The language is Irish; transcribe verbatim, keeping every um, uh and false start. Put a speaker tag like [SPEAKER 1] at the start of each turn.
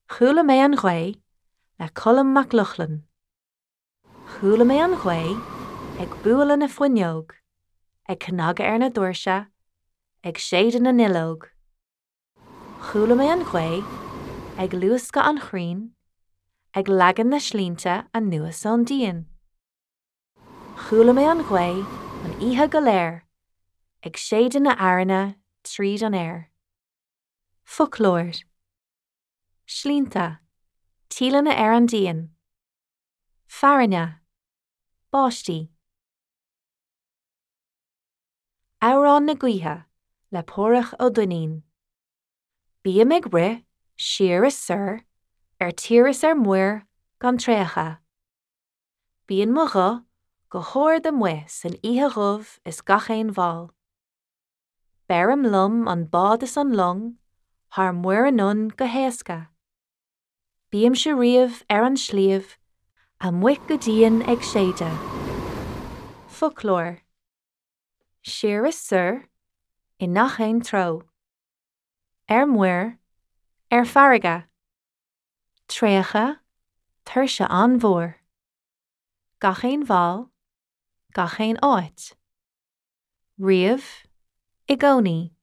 [SPEAKER 1] Chuala mé an ghaoth le Colm Mac Lochlainn. Chuala mé an ghaoth ag bualadh na fuinneog, ag cnagadh ar na doirse, ag séideadh na nduilleog. Chuala mé an ghaoth ag luascadh an chrainn, ag leagan na slinnte anuas ón díon. Chuala mé an ghaoth an oíche go léir, ag séideadh na fearthainne tríd an aer. Foclóir Slinnte, tíleanna ar an díon. Fearthainne, báistí. Amhrán na Gaoithe le Páraic Ó Duinnín. Bím ag rith siar is soir ar tír is ar muir gan traochadh. Bíonn mo ghuth go hard amuigh san oíche dhubh is gach aon bhall. Beirim liom an bád is an long thar muir anonn go héasca. Bímse riamh ar an sliabh amuigh go dian ag séideadh. Foclóir Siar is soir i ngach aon treo. Ar muir, ar farraige. Traochadh, tuirse an-mhór. Gach aon bhall, gach aon áit. Riamh, i gcónaí.